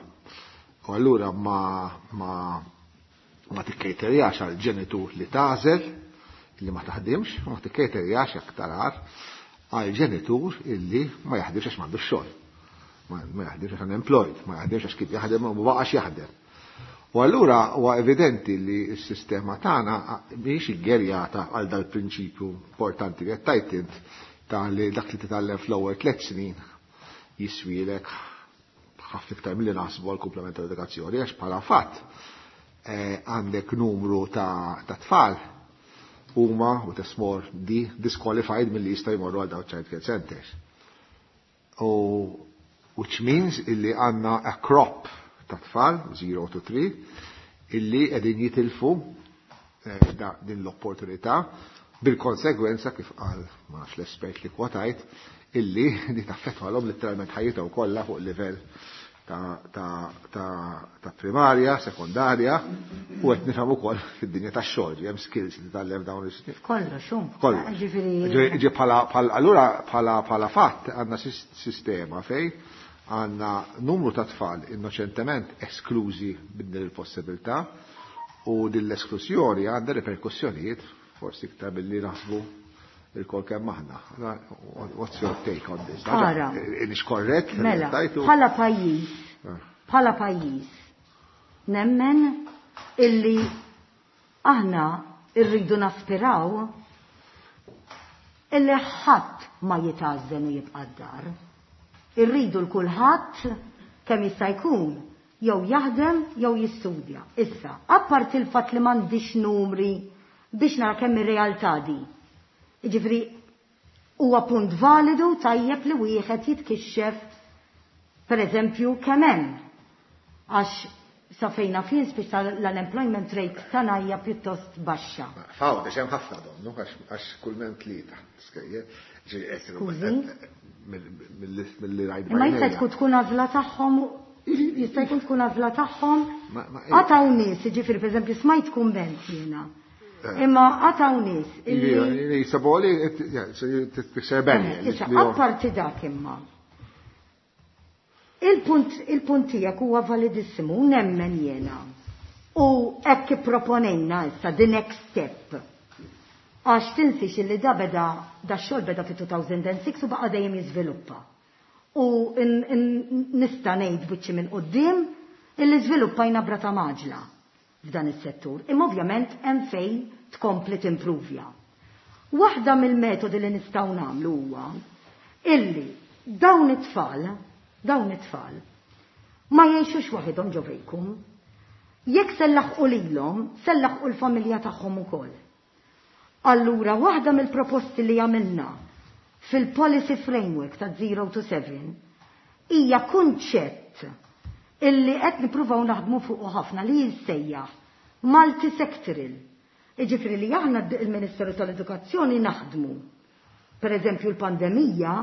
u allura ma ma ma tikkejterjax għal ġenitur li tagħżel li ma taħdimx, u ma tikkejterjax aktar għal ġenitur illi ma jaħdimx għax m'għandux xogħol. Ma jaħdimx għax unemployed, ma jaħdimx għax kif jaħdem u ma baqax jaħdem. U allura huwa evidenti li s-sistema tagħna mhijiex iggerjata għal dal-prinċipju importanti li qed tgħid int ta' li dak li titgħallem fl-ewwel 3 snin jiswielek ħafna iktar milli naħsbu għal komplement tal-edukazzjoni għax bħala fatt għandek numru ta' tfal huma u tesmor di disqualified milli jista' jmorru għal dawn child care centers. U which means illi għandna a crop ta' tfal, 0 to 3, illi qegħdin jitilfu din l-opportunità bil-konsegwenza kif qal ma nafx l-espert li kwotajt illi di taffettwalhom letteralment ħajjithom kollha fuq livell ta' primarja, sekondarja, u qed nifhem ukoll fid-dinja tax-xogħol, hemm skills li titgħallem dawn is-snin. Kollox, hum. Kollox. Ġifieri Ġi bħala allura bħala fatt għandna sistema fejn għandna numru ta' tfal innoċentement esklużi minn din il-possibilità u din l-esklużjoni għandha reperkussjonijiet forsi iktar billi naħsbu il-kol kemm aħna. What's your take on this? Ara. Nix korrett? Mela, tajtu? bħala pajjiż, bħala pajjiż, nemmen illi aħna irridu naspiraw illi ħadd ma jitgħażżen u jibqa' d-dar. Irridu l-kulħadd kemm jista' jkun jew jaħdem jew jistudja. Issa, apparti il-fatt li m'għandix numri biex nara kemm ir-realtà di. Jiġifieri huwa punt validu tajjeb li wieħed jitkixxef pereżempju kemm hemm. Għax sa fejna fien spiċċa l-unemployment rate tagħna hija pjuttost baxxa. Fawda hemm ħafna donnu għax kull m'hemm tlieta. Skużi? Mill-li rajt. Imma jista' tkun tkun għażla tagħhom, jista' jkun tkun għażla tagħhom. Għataw nies, jiġifieri pereżempju smajt kumment jiena. Imma għataw nies illi Jisaboli, tikser benni. Issa, apparti dak imma. Il-punt tiegħek huwa validissimu, nemmen jiena. U hekk ipproponejna issa the next step. Għax tinsix illi da beda, da xogħol beda fi 2006 u baqa' dejjem jiżviluppa. U nista' ngħid biċċi minn quddiem illi żviluppajna brata maġla f'dan is-settur. Imma ovvjament hemm fejn tkompli timpruvja. Waħda mill-metodi li nistgħu nagħmlu huwa illi dawn it-tfal ma jgħixux waħedhom ġo vejkum. Jekk sellaħqu lilhom, sellaħqu l-familja tagħhom ukoll. Allura waħda mill-proposti li għamilna fil-policy framework ta' 0 to 7 hija kunċett illi qed nippruvaw naħdmu fuqu ħafna li jissejjaħ multisectoral. Jiġifieri li aħna il-Ministeru tal-Edukazzjoni naħdmu. Per eżempju l-pandemija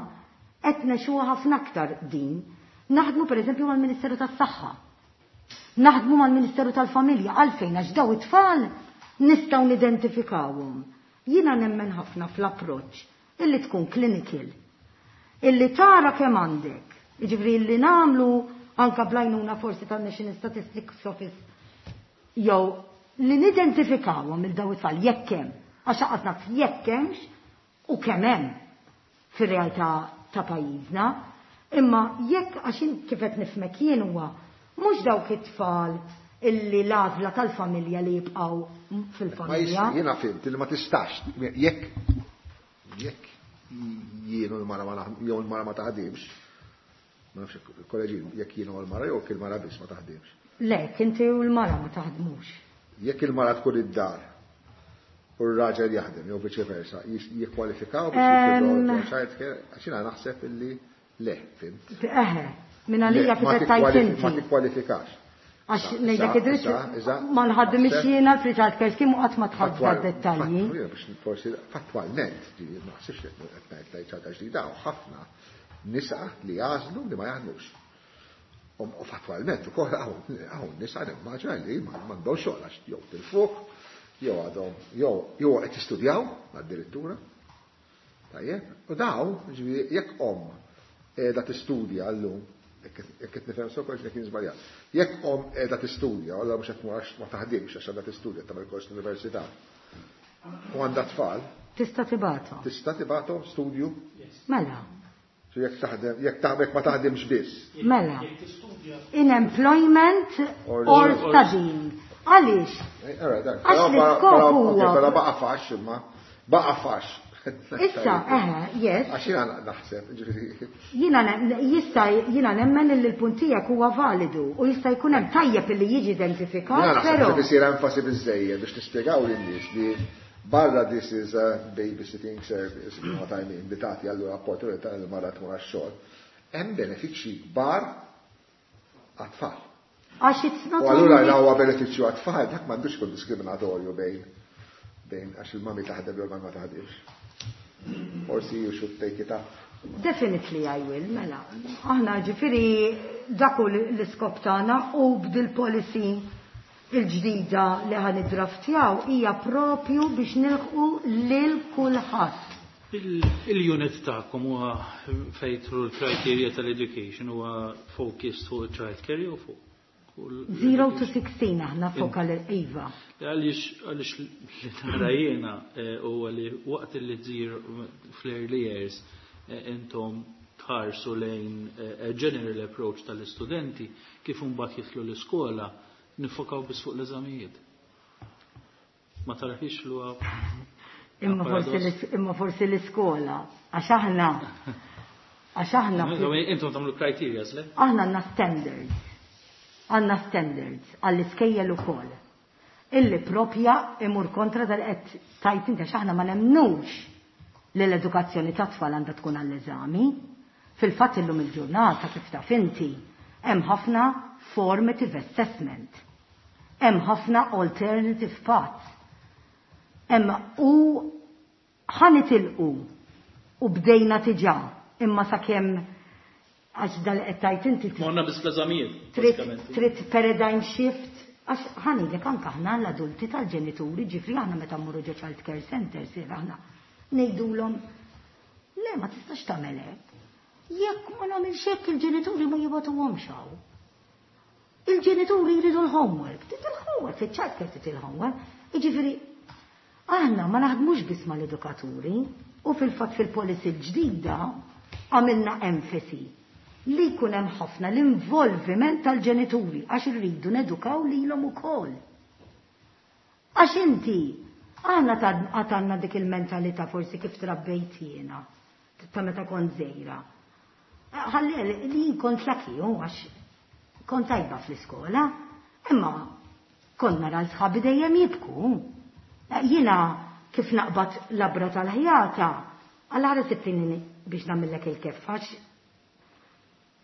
qed nexuha ħafna aktar din. Naħdmu per eżempju mal-Ministeru tas-Saħħa. Naħdmu mal-Ministeru tal-Familja għalfejn għax daw it-tfal nistgħu nidentifikawhom. Jiena nemmen ħafna fl-approċċ illi tkun clinical, illi tara kemm għandek. Jiġifieri illi nagħmlu anka blajnuna forsi tan-National Statistics Office jew li nidentifikawhom il daw it-tfal jekk hemm, għax aqgħod naf jekk hemmx u kemm hemm fir-realtà ta' pajjiżna, imma jekk għax kif qed nifhmek jien huwa mhux dawk it-tfal illi l-għażla tal-familja li jibqgħu fil-familja. Jiena fimt li ma tistax, jekk jien u l-mara ma jew l-mara ma taħdimx, ma nafx kolleġi, jekk jien u l-mara jew il-mara biss ma taħdimx. Le, inti u l-mara ma taħdmux. Jekk il-mara tkun id-dar u r-raġel jaħdem jew viċi versa, jikkwalifikaw biex jikkwalifikaw child care, għax jiena naħseb illi le, fimt. Eħe, minn għalija kif qed tgħid inti. Ma tikkwalifikax. Għax ngħidlek id-dritt ma nħaddimx jiena l-free child care scheme u qatt ma tħadd dettalji. Forsi fattwalment, ma naħsibx li qed ngħid li ċaġa ġdida ħafna nisa li jagħżlu li ma jaħdmux. U fattwalment ukoll hawn nisa nimmaġina li m'għandhom xogħol għax jew tilfuh, jew għadhom jew qed jistudjaw addirittura. Tajjeb, u daw, ġifieri jekk omm qiegħda tistudja llum, jekk qed nifhem sew kollox kien żbaljat. Jekk omm qiegħda tistudja, alla mhux qed tmur għax ma taħdimx għax għandha tistudja tagħmel kors l-università. U għandha tfal. Tista' tibgħathom. Tista' tibgħathom studju? Mela. Jekk taħdem, jekk taħdem ma taħdimx biss. Mela. In employment or studying. Għaliex? Għax l-iskop huwa. Però baqa' fax imma baqa' fax. Issa, eħe, yes. Għax jiena naħseb, ġifieri. Jiena jista' jiena nemmen li l-punt tiegħek huwa validu u jista' jkun hemm tajjeb li jiġi identifikat. Jiena naħseb li isir enfasi biżejjed biex nispjegaw lin-nies li barra this is a babysitting service, you know what I mean, li tagħti allura opportunità li mara tmur għax-xogħol. Hemm benefiċċji kbar għat-tfal. Għax it's not U allura la huwa benefiċċju għat-tfal, dak m'għandux ikun diskriminatorju bejn għax il-mami taħdem jew ma taħdimx. Forsi you should take it up. Definitely I will, mela. Aħna ġifieri dak hu l-iskop tagħna u b'dil policy il-ġdida li ħa niddraftjaw hija propju biex nilħqu lil kulħadd. Il-unit tagħkom huwa fejtru l-criteria tal-education huwa focused fuq child care jew fuq 0 to 16 aħna fokal iva. Għaliex għaliex li nara jiena huwa li waqt li tżir fl-early years intom tħarsu lejn general approach tal-istudenti kif imbagħad jidħlu l-iskola nifokaw biss fuq l-eżamijiet. Ma tarahiex lu Imma forsi l-iskola, għax aħna għax aħna Intom tagħmlu criteria, le? Aħna għandna standards. Għandna standards għall-iskejjel ukoll. Illi propja imur kontra dal qed tajt inti għax aħna ma nemnux li l-edukazzjoni ta' tfal għandha tkun għall-eżami. Fil-fatt illum il-ġurnata kif taf inti hemm ħafna formative assessment. Hemm ħafna alternative paths. Hemm u ħa nitilqu u bdejna diġà imma sakemm għax dal qed tajt inti Morna biss fl-eżamijiet. Trid paradigm shift għax ħa ngħidlek anke aħna l-adulti tal-ġenituri ġifri aħna meta mmorru ġo child care centers aħna ngħidulhom le ma tistax tagħmel hekk. Jekk ma nagħmilx hekk il-ġenituri ma jibagħtuhomx hawn. Il-ġenituri jridu l-homework, trid il-homework, fiċ-child care trid il-homework. Jiġifieri aħna ma naħdmux biss mal-edukaturi u fil-fatt fil-policy l-ġdida għamilna enfasi li jkun hemm ħafna l-involviment tal-ġenituri għax irridu nedukaw lilhom ukoll. Għax inti aħna għandna dik il-mentalità forsi kif trabbejt jiena ta' meta kont żgħira. Ħalli li jien kont lucky għax kont tajba fl-iskola, imma kont nara l-sħabi dejjem jibku. Jiena kif naqbad labra tal-ħjata, għal ħara sittini biex nagħmillek il-kef, għax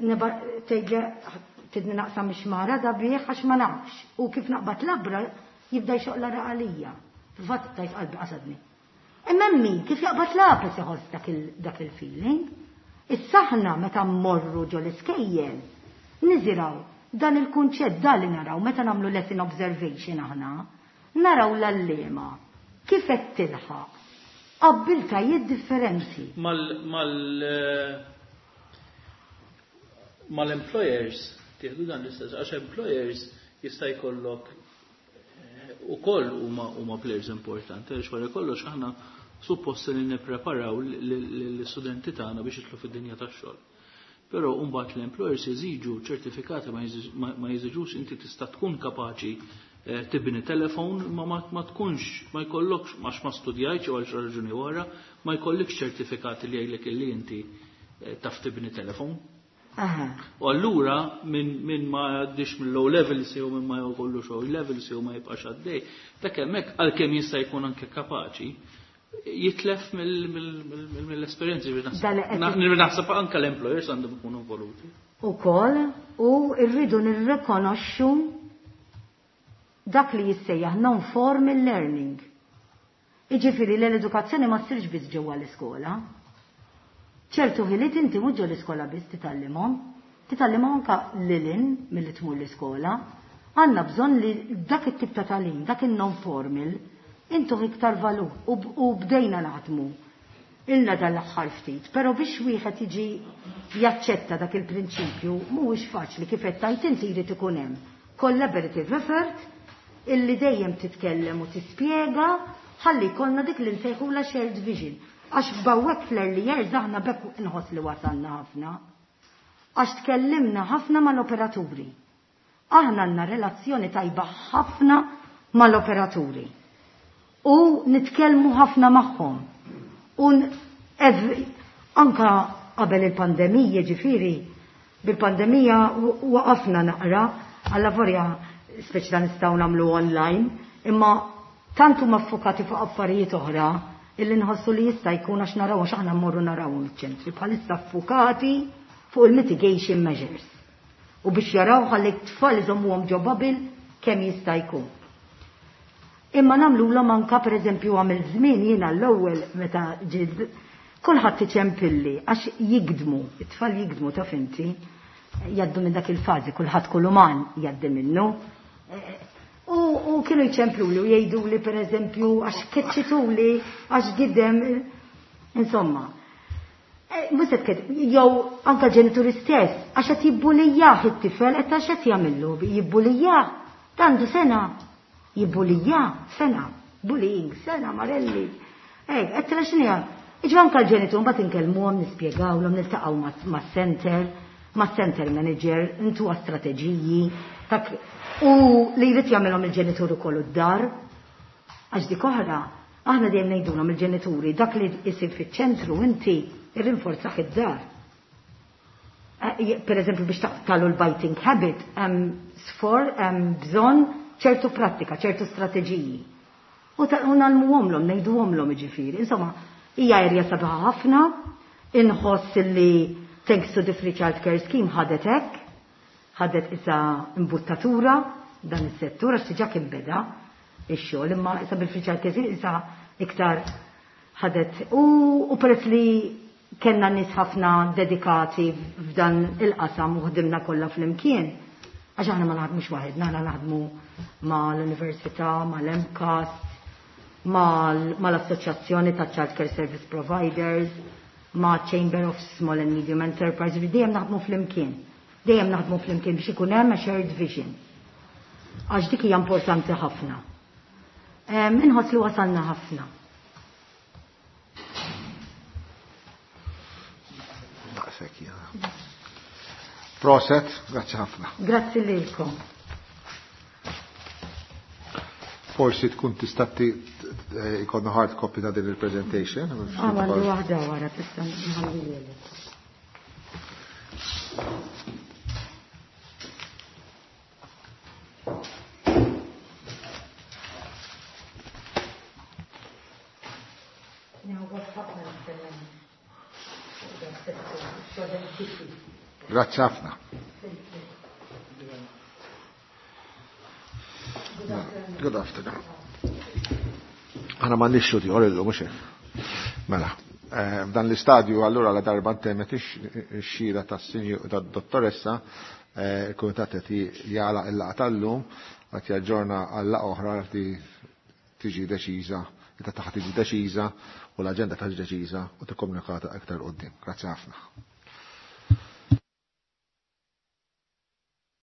tgħidli tidni naqsam ix-xmara da bih għax ma nafx. U kif naqbad labra jibda jxoq l għalija. Fil-fatt tajt qalbi qasadni. Imma min kif jaqbad lapes iħoss dak il-feeling. Issa aħna meta mmorru ġo l-iskejjel, niżiraw dan il-kunċett dan li naraw meta nagħmlu lesson observation aħna, naraw l-għalliema kif qed tilħaq abbiltajiet differenti. Mal-employers tieħdu dan l-istess, għax employers jista' jkollok ukoll huma players importanti, għax wara kollox aħna suppost li nippreparaw l-istudenti tagħna biex jidħlu fid-dinja tax-xogħol. Però mbagħad l-employers jeżiġu ċertifikati ma jeżiġux inti tista' tkun kapaċi tibni telefon ma ma tkunx ma jkollokx għax ma studjajtx jew għal xi raġuni oħra ma jkollikx ċertifikati li jgħidlek illi inti taf tibni telefon. U allura min ma jgħaddix mill-O levels jew min ma jkollux O levels jew ma jibqax għaddej, dak hemmhekk għalkemm jista' jkun anke kapaċi, jitlef mill-esperjenzi. Naħseb anke l-employers għandhom ikunu involuti. Ukoll, u rridu nirrikonoxxu dak li jissejjaħ non-formal learning. Iġifieri li l-edukazzjoni ma ssirx biss ġewwa l-iskola. Ċertu ħiliet inti mhux ġo l-iskola biss titgħallimhom, titgħallimhom anke lil hinn milli tmur l-iskola. Għandna bżonn li dak it-tip ta' tagħlim, dak in-non-formal, intuh iktar valur u bdejna naħdmu ilna dan l-aħħar ftit, però biex wieħed jiġi jaċċetta dak il-prinċipju mhuwiex faċli. Kif qed tgħid inti, jrid ikun hemm collaborative effort illi dejjem titkellem u tispjega ħalli jkollna dik li nsejħula shared vision. Għax bawwek fl-early years aħna bekk inħoss li wasalna ħafna. Għax tkellimna ħafna mal-operaturi. Aħna għandna relazzjoni tajba ħafna mal-operaturi. U nitkellmu ħafna magħhom. U anka qabel il-pandemija, ġifieri, bil-pandemija waqafna naqra, għalla vorja speċi ta' nistgħu nagħmlu online, imma tant huma ffukati fuq affarijiet oħra illi nħossu li jista' jkun għax naraw, għax aħna mmorru naraw iċ-ċentri bħalissa ffukati fuq il-mitigation measures. U biex jaraw ħalli t-tfal iżommuhom ġo bubble kemm jista' jkun. Imma nagħmluhom anka, pereżempju, għamil żmien jiena l-ewwel meta ġid kulħadd iċempilli għax jigdmu, it-tfal jigdmu, taf inti, jgħaddu minn dak il-fażi, kulħadd, kull uman jgħaddi minnu. U kienu jċempluli u jgħidu li, pereżempju, għax keċċituli, għax gidem, insomma. Mhux qed jew anka ġenituri stess, għax qed jibbulijah it-tifel, qed għax qed jagħmillu, jibbulijah, għandu sena, jibbulijah, sena, bullying, sena, Marelli. Ej, qed tara x'inhi. Iġu anka l-ġenitur mbagħad inkellmuhom, nispjegawlhom, niltaqgħu mas-center, mas-center manager, intuha strateġiji, u li jrid jagħmilhom il-ġenitur ukoll id-dar. Għax dik oħra, aħna dejjem ngħidulhom il-ġenituri, dak li jsir fiċ-ċentru inti irrinforzah id-dar. Per eżempju, biex taqtalu l-biting habit, hemm sfor, hemm bżonn ċertu prattika, ċertu strateġiji. U ngħallmuhomlhom, ngħiduhomlhom ġifieri. Insomma, hija erja sabiħa ħafna, inħoss li thanks to the Free Child Care Scheme ħadet hekk, ħadet issa imbuttatura dan is-settur għax diġà kien beda ix-xogħol, imma issa bil-Free Child Care Scheme issa iktar ħadet u peress li kellna nies ħafna dedikati f'dan il-qasam u ħdimna kollha flimkien. Għax aħna ma naħdmux waħedna, aħna naħdmu ma l-Università, ma l-MCAST, ma l-Assoċjazzjoni ta' Child Care Service Providers, ma Chamber of Small and Medium Enterprise, dejjem naħdmu flimkien. Dejjem naħdmu flimkien biex ikun hemm a shared vision. Għax dik hija importanti ħafna. Inħoss li wasalna ħafna. Daqshekk jiena. Proset, grazzi ħafna. Grazzi lilkom. Forsi tkun tista' ikollna hard copy ta' din il-presentation. Ah, għandi waħda wara tista' nħalli. Nieħu gost ħafna nitkellem fuq dan is-settur, xogħol diffiċli. Grazzi ħafna. Good afternoon. Aħna ma nixxu tiħor illum, mhux hekk. Mela, f'dan l-istadju allura, la darba ntemmet ix-xhieda tad-dottoressa, il-kumitat qed jagħlaq il-laqgħa tal-lum, qed jaġġorna għal laqgħa oħra li tiġi deċiża, li ta' taħt tiġi deċiża u l-aġenda tiġi deċiża u tikkomunikata aktar quddiem. Grazzi ħafna.